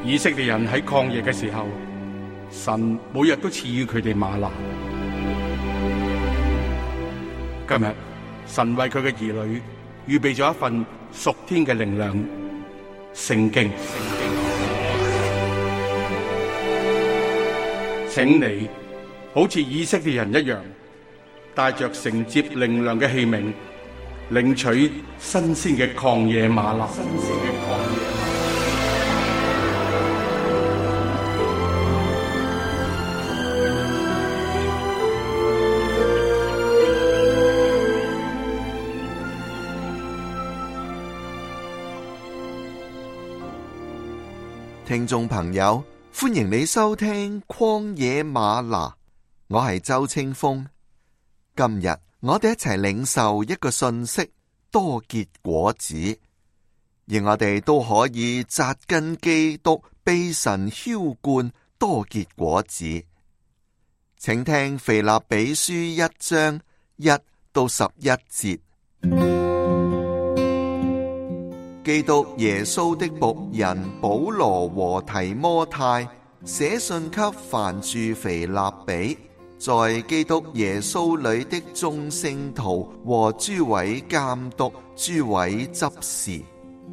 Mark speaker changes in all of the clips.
Speaker 1: 以色列人喺曠野嘅時候，神每日都賜予佢哋嗎哪。今日神為佢嘅兒女預備咗一份屬天嘅靈糧——聖經。請你好似以色列人一樣，帶着承接靈糧嘅器皿，領取新鮮嘅曠野嗎哪。
Speaker 2: 聽眾朋友，歡迎你收聽曠野嗎哪，我係周清風。今日我哋一齊領受一個信息：多結果子，而我哋都可以扎根基督，被神澆灌，多結果子。請聽腓立比書1章1到11節。基督耶穌的僕人保羅和提摩太寫信給凡住腓立比，在基督耶穌裏的眾聖徒和諸位監督、諸位執事，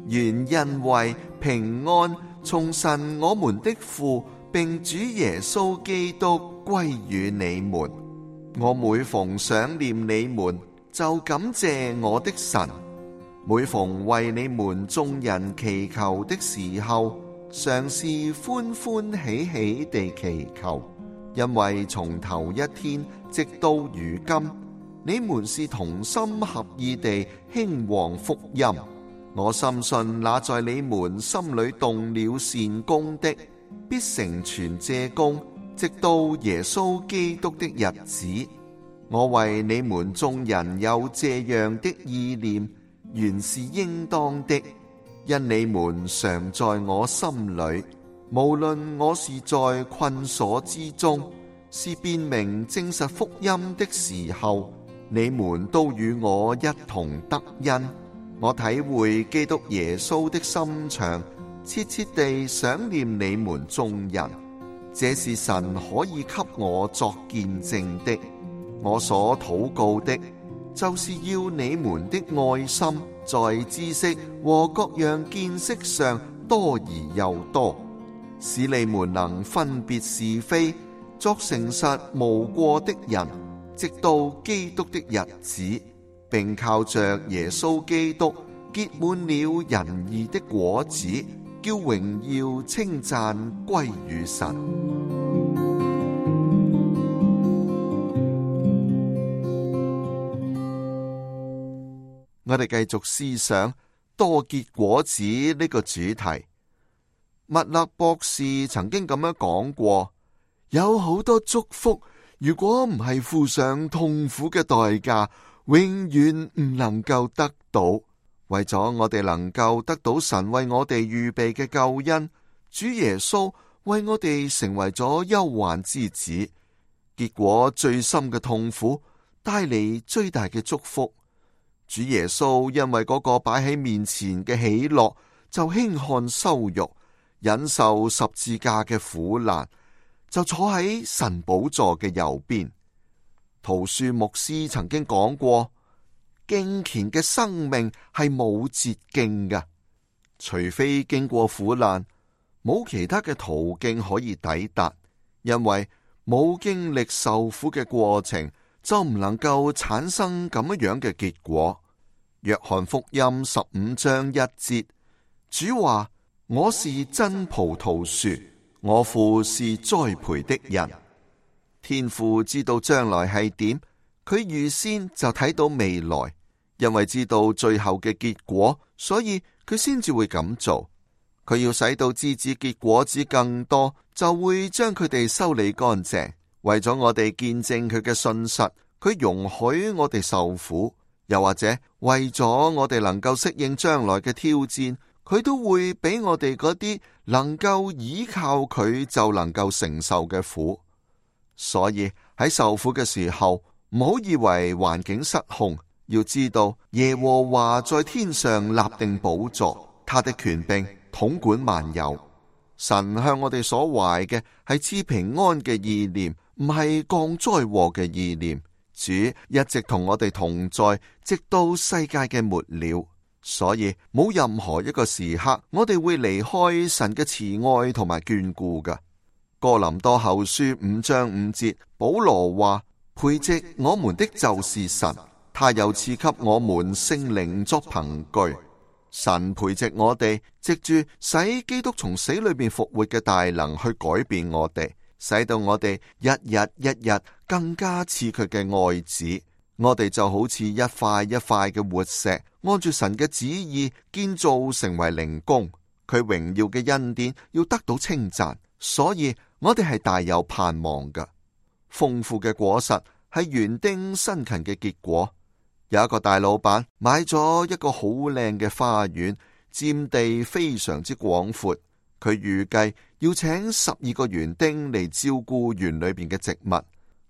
Speaker 2: 願恩惠平安從神我們的父並主耶穌基督歸與你們。我每逢想念你們，就感謝我的神。每逢為你們眾人祈求的時候，常是歡歡喜喜地祈求，因為從頭一天直到如今，你們是同心合意地興旺福音。我深信那在你們心裏動了善工的，必成全這工，直到耶穌基督的日子。我為你們眾人有這樣的意念，原是應當的，因你們常在我心裏，無論我是在困鎖之中，是辨明證實福音的時候，你們都與我一同得恩。我體會基督耶穌的心腸，切切地想念你們眾人，這是神可以給我作見證的。我所禱告的，就是要你們的愛心在知識和各樣見識上多而又多，使你們能分別是非，作誠實無過的人，直到基督的日子，並靠着耶穌基督結滿了仁義的果子，叫榮耀稱讚歸於神。我哋繼續思想多結果子呢個主題。麥勒博士曾經咁樣講過，有好多祝福，如果唔係付上痛苦嘅代價，永遠唔能夠得到。為咗我哋能夠得到神為我哋預備嘅救恩，主耶穌為我哋成為咗憂患之子，結果最深嘅痛苦帶嚟最大嘅祝福。主耶穌因為嗰個擺喺面前嘅喜樂，就輕看羞辱，忍受十字架嘅苦難，就坐喺神寶座嘅右邊。陶恕牧師曾經講過，敬虔嘅生命係冇捷徑嘅，除非經過苦難，冇其他嘅途徑可以抵達，因為冇經歷受苦嘅過程，就唔能夠產生咁樣嘅結果。約翰福音15章1節，主話：我是真葡萄樹，我父是栽培的人。天父知道將來係點，佢預先就睇到未來，因為知道最後嘅結果，所以佢先至會咁做。佢要使到枝子結果子更多，就會將佢哋修理乾淨。為咗我哋見證佢嘅信實，佢容許我哋受苦。又或者為咗我哋能夠適應將來嘅挑戰，佢都會俾我哋嗰啲能夠依靠佢就能夠承受嘅苦。所以喺受苦嘅時候，唔好以為環境失控，要知道耶和華在天上立定寶座，他的權柄統管萬有。神向我哋所懷嘅係賜平安嘅意念，唔係降災禍嘅意念。主一直同我哋同在，直到世界嘅末了。所以冇任何一個時刻，我哋會離開神嘅慈愛同埋眷顧嘅。哥林多後書5章5節，保羅話：培植我們的就是神，他又賜給我們聖靈作憑據。神培植我哋，藉住使基督從死裏邊復活嘅大能去改變我哋，使到我哋一日一日更加似佢嘅愛子。我哋就好似一塊一塊嘅活石，按住神嘅旨意建造成為靈宮。佢榮耀嘅恩典要得到稱讚，所以我哋係大有盼望嘅。豐富嘅果實係園丁辛勤嘅結果。有一個大老闆買咗一個好靚嘅花園，佔地非常之廣闊。佢預計要請12個園丁嚟照顧園裏邊嘅植物。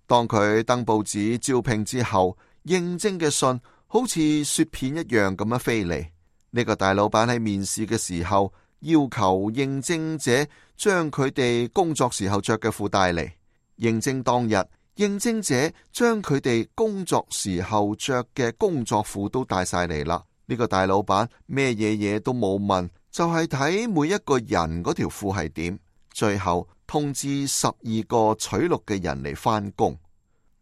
Speaker 2: 當佢登報紙招聘之後，應徵嘅信好似雪片一樣咁樣飛嚟。呢個大老闆喺面試嘅時候，要求應徵者將佢哋工作時候着嘅褲帶嚟。應徵當日，應徵者將佢哋工作時候着嘅工作褲都帶晒嚟啦。呢個大老闆咩嘢都冇問，就係睇每一個人嗰條褲係點。最後通知12個取錄嘅人嚟返工。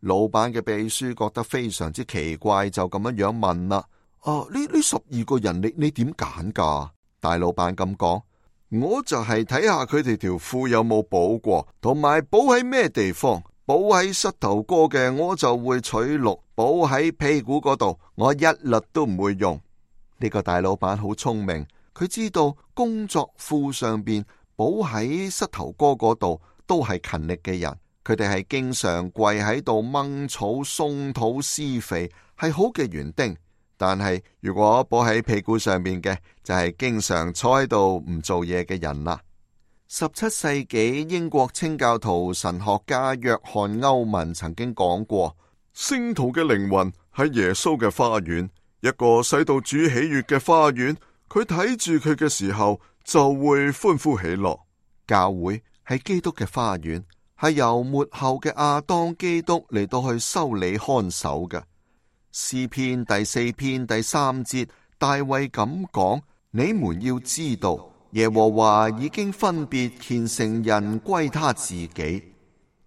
Speaker 2: 老闆嘅秘書覺得非常之奇怪，就咁樣問啦：呢12個人你點揀㗎？大老闆咁講：我就係睇下佢哋條褲有冇補過，同埋補喺咩地方。補喺膝頭哥嘅我就會取錄，補喺屁股嗰度我一律都唔會用。呢個大老闆好聰明，佢知道工作褲上邊補喺膝頭哥嗰度都係勤力嘅人，佢哋係經常跪喺度掹草鬆土施肥，係好嘅園丁。但係如果補喺屁股上面嘅，就係經常坐喺度唔做嘢嘅人啦。17世紀英國清教徒神學家約翰歐文曾經講過：聖徒嘅靈魂係耶穌嘅花園，一個使到主喜悅嘅花園。佢睇住佢嘅時候就會歡呼喜樂。教會係基督嘅花園，係由末後嘅亞當基督嚟到去修理看守嘅。詩篇第4篇第3節，大衛咁講：你們要知道，耶和華已經分別虔誠人歸他自己。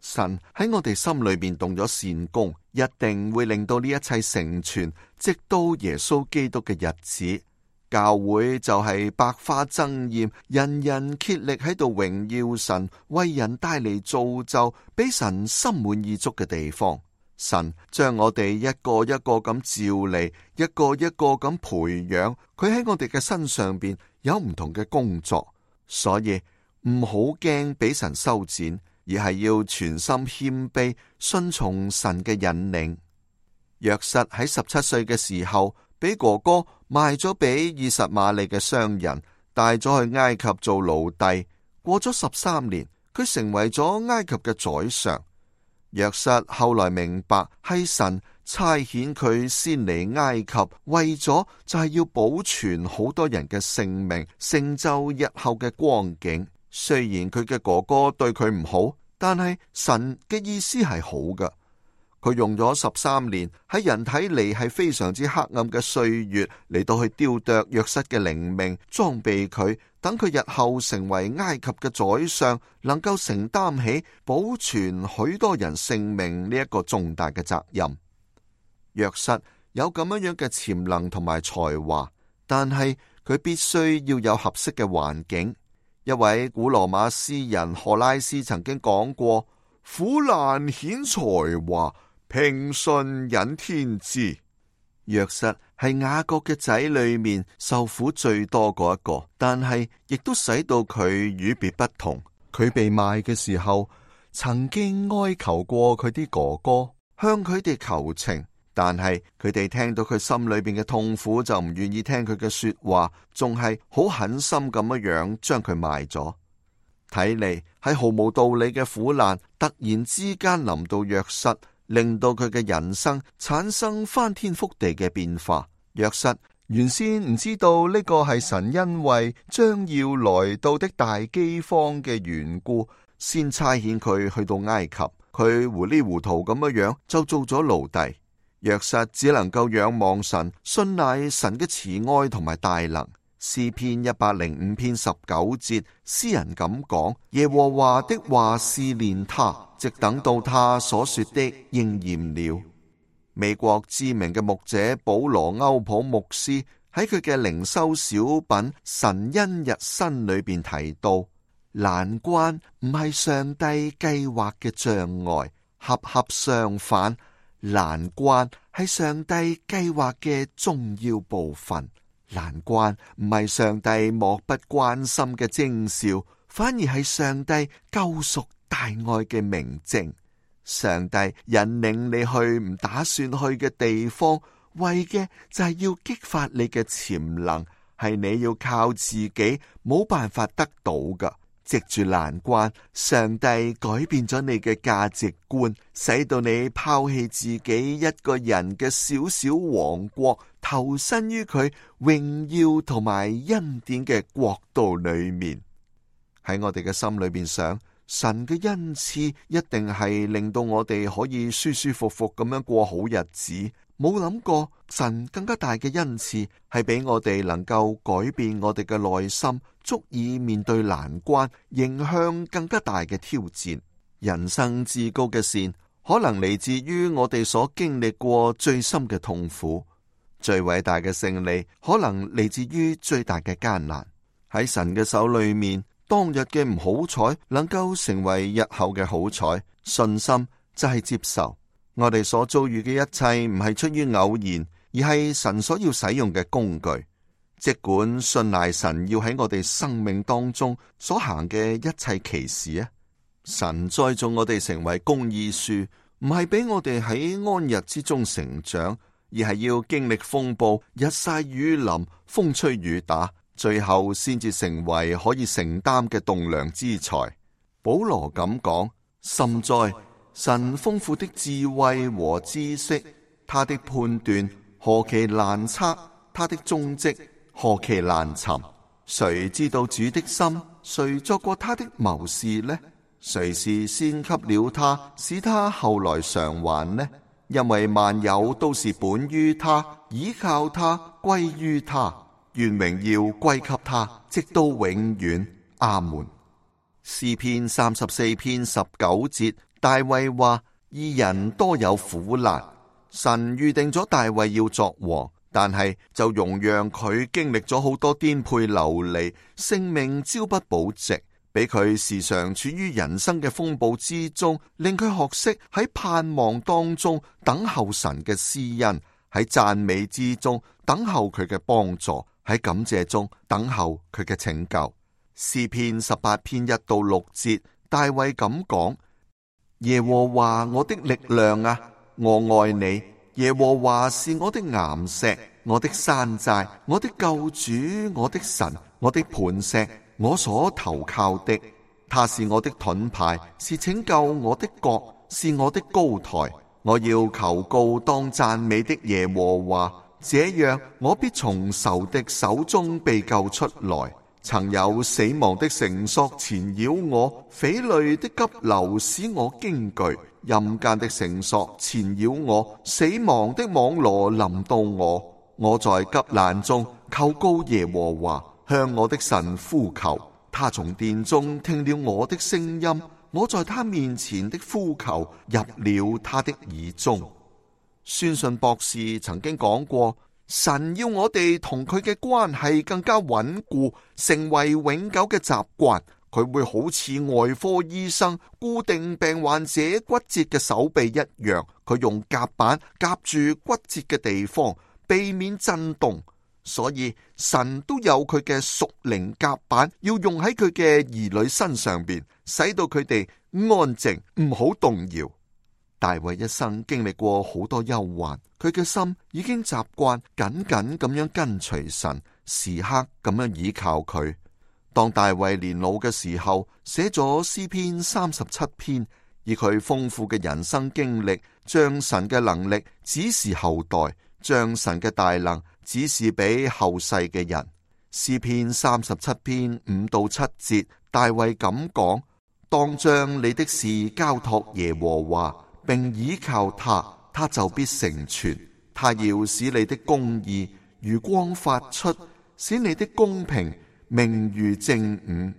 Speaker 2: 神喺我哋心裏邊動咗善工，一定會令到呢一切成全，直到耶穌基督嘅日子。教會就係百花爭艷，人人竭力喺度榮耀神，為人帶嚟造就，俾神心滿意足嘅地方。神將我哋一個一個咁召嚟，一個一個咁培養，佢喺我哋嘅身上邊有唔同嘅工作，所以唔好驚俾神修剪，而係要全心謙卑，順從神嘅引領。約瑟喺17歲嘅時候，俾哥哥賣咗俾以實瑪利嘅商人，帶咗去埃及做奴隸。過咗13年，佢成為咗埃及嘅宰相。約瑟後來明白係神差遣佢先嚟埃及，為咗就係要保存好多人嘅性命，成就日後嘅光景。雖然佢嘅哥哥對佢唔好，但係神嘅意思係好嘅。佢用咗13年喺人睇嚟係非常之黑暗嘅歲月嚟到去雕琢約瑟嘅靈命，裝備佢，等佢日後成為埃及嘅宰相，能夠承擔起保存許多人性命呢一個重大嘅責任。約瑟有咁樣嘅潛能同埋才華，但係佢必須要有合適嘅環境。一位古羅馬詩人荷拉斯曾經講過：苦難顯才華，平順引天資。約瑟係雅各嘅仔裏面受苦最多嗰一個，但係亦都使到佢與別不同。佢被賣嘅時候，曾經哀求過佢啲哥哥，向佢哋求情，但係佢哋聽到佢心裏邊嘅痛苦，就唔願意聽佢嘅說話，仲係好狠心咁樣將佢賣咗。睇嚟係毫無道理嘅苦難，突然之間臨到約瑟，令到佢嘅人生產生翻天覆地嘅變化。約瑟原先唔知道呢個係神因為將要來到的大饑荒嘅緣故，先差遣佢去到埃及。佢糊裡糊塗咁樣就做咗奴隸。約瑟只能夠仰望神，信賴神嘅慈愛同埋大能。詩篇105篇19節，詩人咁講：耶和華的話試煉他，直等到他所說的應驗了。美國知名嘅牧者保羅歐普牧師喺佢嘅靈修小品《神恩日新》裏邊提到，難關唔係上帝計劃嘅障礙，恰恰相反，難關係上帝計劃嘅重要部分。難關唔係上帝漠不關心嘅徵兆，反而係上帝救贖大愛嘅明證。上帝引領你去唔打算去嘅地方，為嘅就係要激發你嘅潛能，係你要靠自己冇辦法得到㗎。藉住難關，上帝改變咗你嘅價值觀，使到你拋棄自己一個人嘅小小王國，投身於佢榮耀同埋恩典嘅國度裏面。喺我哋嘅心裏邊想，神嘅恩賜一定係令到我哋可以舒舒服服咁樣過好日子。冇諗過神更加大嘅恩賜係俾我哋能夠改變我哋嘅內心，足以面對難關，迎向更加大嘅挑戰。人生至高嘅善，可能嚟自於我哋所經歷過最深嘅痛苦；最偉大嘅勝利，可能嚟自於最大嘅艱難。喺神嘅手裏面，當日嘅唔好彩能夠成為日後嘅好彩。信心就係接受我哋所遭遇嘅一切，唔係出於偶然，而係神所要使用嘅工具。即管信賴神要喺我哋生命當中所行嘅一切奇事啊！神栽種我哋成為公義樹，唔係俾我哋喺安逸之中成長，而係要經歷風暴、日曬雨淋、風吹雨打，最後先至成為可以承擔嘅棟樑之才。保羅咁講：深哉，神豐富的智慧和知識，他的判斷何其難測，他的蹤跡何其難尋。誰知道主的心？誰作過他的謀士呢？誰是先給了他，使他後來償還呢？因為萬有都是本於他，倚靠他，歸於他，願榮耀歸給他，直到永遠。阿門。詩篇34篇19節，大衛話：義人多有苦難。神預定咗大衛要作王，但係就容讓佢經歷咗好多顛沛流離，性命朝不保夕，俾佢時常處於人生嘅風暴之中，令佢學識喺盼望當中等候神嘅施恩，喺讚美之中等候佢嘅幫助，喺感謝中等候佢嘅拯救。詩篇18篇1到6節，大衛咁講：耶和華我的力量啊，我愛你。耶和華是我的岩石，我的山寨，我的救主，我的神，我的磐石，我所投靠的。他是我的盾牌，是拯救我的角，是我的高台。我要求告當讚美的耶和華，這樣我必從仇敵手中被救出來。曾有死亡的繩索纏繞我，匪類的急流使我驚懼，陰間的繩索纏繞我，死亡的網羅臨到我。我在急難中求告耶和華，向我的神呼求。他從殿中聽了我的聲音，我在他面前的呼求入了他的耳中。宣信博士曾經講過，神要我哋同佢嘅關係更加穩固，成為永久嘅習慣。佢會好似外科醫生固定病患者骨折嘅手臂一樣，佢用夾板夾住骨折嘅地方，避免震動。所以神都有佢嘅屬靈夾板，要用喺佢嘅兒女身上邊，使到佢哋安靜，唔好動搖。大衛一生經歷過好多憂患，佢嘅心已經習慣緊緊咁樣跟隨神，時刻咁樣倚靠佢。當大衛年老嘅時候，寫咗詩篇37篇，以佢豐富嘅人生經歷，將神嘅能力指示後代，將神嘅大能只是俾後世嘅人。詩篇37篇5到7節，大衛咁講：當將你的事交託耶和華，並倚靠他，他就必成全。他要使你的公義如光發出，使你的公平明如正午。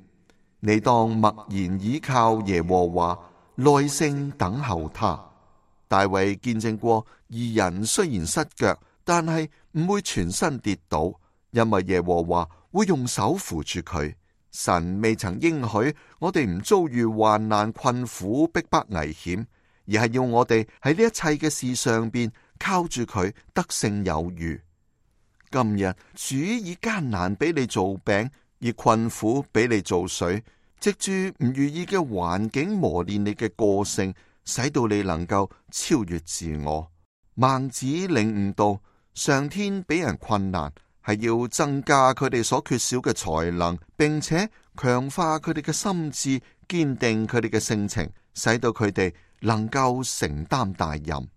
Speaker 2: 你當默然倚靠耶和華，耐性等候他。大衛見證過，義人雖然失腳，但係唔會全身跌倒，因為耶和華會用手扶住佢。神未曾應許我哋唔遭遇患難、困苦、逼迫、危險，而係要我哋喺呢一切嘅事上邊靠住佢得勝有餘。今日主以艱難俾你做餅，以困苦俾你做水，藉住唔如意嘅環境磨練你嘅個性，使到你能夠超越自我。孟子領悟到，上天俾人困難係要增加佢哋所缺少嘅才能，並且強化佢哋嘅心智，堅定佢哋嘅性情，使到佢哋能夠承擔大任。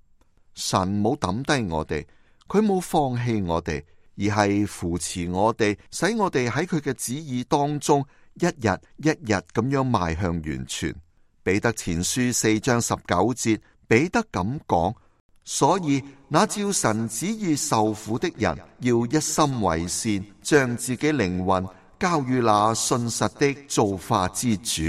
Speaker 2: 神冇抌低我哋，佢冇放棄我哋，而係扶持我哋，使我哋喺佢嘅旨意當中一日一日咁樣邁向完全。彼得前書4章19節，彼得咁講：所以那照神旨意受苦的人，要一心為善，將自己靈魂交於那信實的造化之主。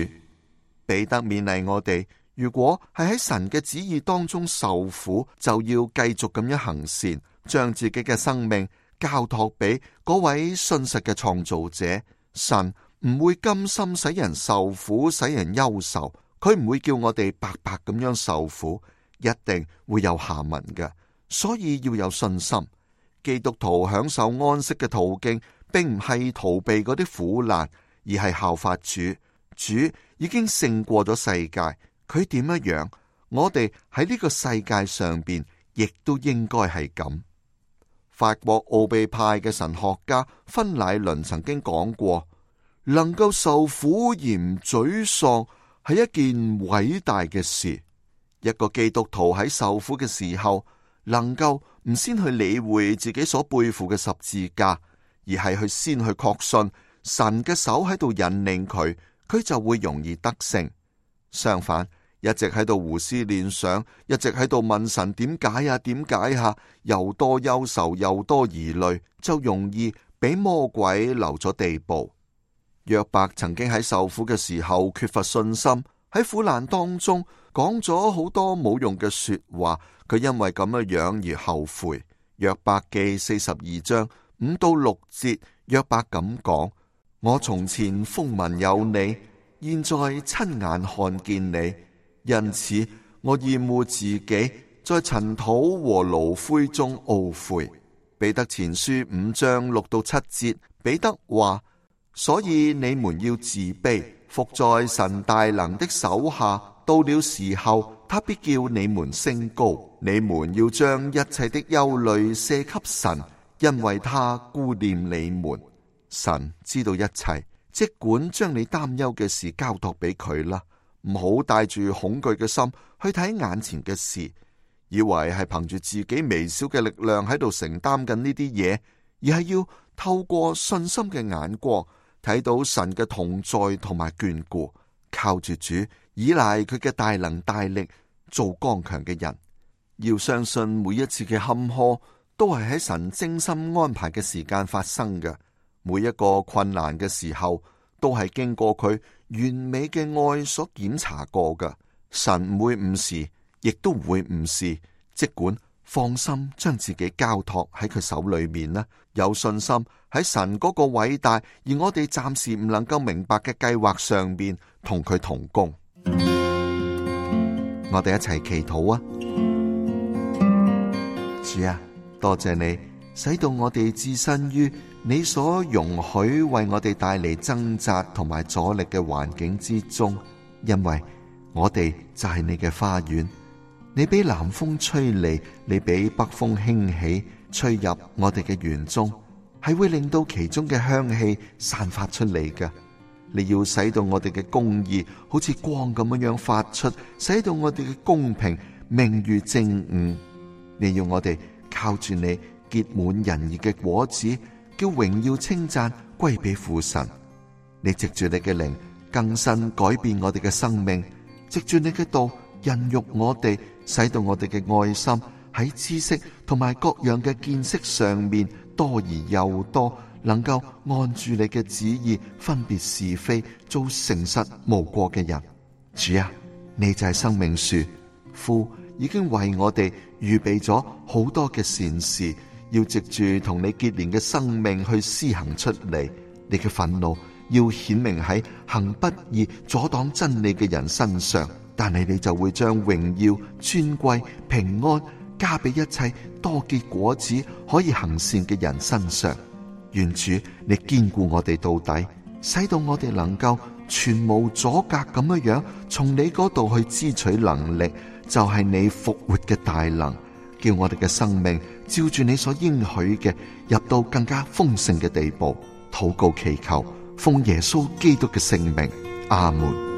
Speaker 2: 彼得勉勵我哋，如果係喺神嘅旨意當中受苦，就要繼續咁樣行善，將自己嘅生命交託俾嗰位信實嘅創造者。神唔會甘心使人受苦，使人憂愁，佢唔會叫我哋白白咁樣受苦，一定會有下文嘅。所以要有信心。基督徒享受安息嘅途徑，並唔係逃避嗰啲苦難，而係效法主。主已經勝過咗世界，佢點樣，我哋喺呢個世界上邊亦都應該係咁。法國奧秘派嘅神學家芬乃倫曾經講過，能夠受苦而唔沮喪係一件偉大嘅事。一個基督徒喺受苦嘅時候，能夠唔先去理會自己所背負嘅十字架，而係先去確信神嘅手喺度引領佢，佢就會容易得勝。相反，一直喺度胡思亂想，一直喺度問神點解啊，點解啊，又多憂愁又多疑慮，就容易俾魔鬼留咗地步。約伯曾經喺受苦嘅時候缺乏信心，喺苦難當中講咗好多冇用嘅說話，佢因為咁樣而後悔。約伯記42章5到6節，約伯咁講：我從前風聞有你，現在親眼看見你，因此我厭惡自己，在塵土和爐灰中懊悔。彼得前書5章6到7節，彼得話：所以你們要自卑，伏在神大能的手下，到了時候，他必叫你們升高。你們要將一切的憂慮卸給神，因為他顧念你們。神知道一切，即管將你擔憂嘅事交託俾佢啦，唔好帶住恐懼嘅心去睇眼前嘅事，以為係憑住自己微小嘅力量喺度承擔緊呢啲嘢，而係要透過信心嘅眼光睇到神嘅同在同埋眷顧，靠住主，依賴佢嘅大能大力，做剛強嘅人。要相信每一次嘅坎坷都係喺神精心安排嘅時間發生嘅，每一個困難嘅時候都係經過佢完美嘅愛所檢查過嘅。神唔會誤事，亦都唔會誤事，即管放心將自己交託喺佢手裏面啦，有信心喺神嗰個偉大而我哋暫時唔能夠明白嘅計劃上邊同佢同工。我哋一齊祈禱啊！主啊，多謝你使到我哋置身於你所容許為我哋帶嚟掙扎同埋阻力嘅環境之中，因為我哋就係你嘅花園。你俾南風吹嚟，你俾北風興起，吹入我哋嘅園中，係會令到其中嘅香氣散發出嚟嘅。你要使到我哋嘅公義好似光咁樣發出，使到我哋嘅公平明如正午。你要我哋靠住你，結滿仁義嘅果子，叫榮耀稱讚歸俾父神。你藉住你嘅靈更新改變我哋嘅生命，藉住你嘅道孕育我哋，使到我哋嘅愛心喺知識同埋各樣嘅見識上面多而又多，能夠按住你嘅旨意分別是非，做誠實無過嘅人。主啊，你就係生命樹，父已經為我哋預備咗好多嘅善事，要藉住同你結連嘅生命去施行出嚟。你嘅憤怒要顯明喺行不義阻擋真理嘅人身上，但係你就會將榮耀、尊貴、平安加俾一切多結果子可以行善嘅人身上。願主你堅固我哋到底，使到我哋能夠全無阻隔咁樣從你嗰度去支取能力，就係你復活嘅大能，叫我哋嘅生命照住你所應許嘅入到更加豐盛嘅地步。禱告祈求，奉耶穌基督嘅聖名，阿門。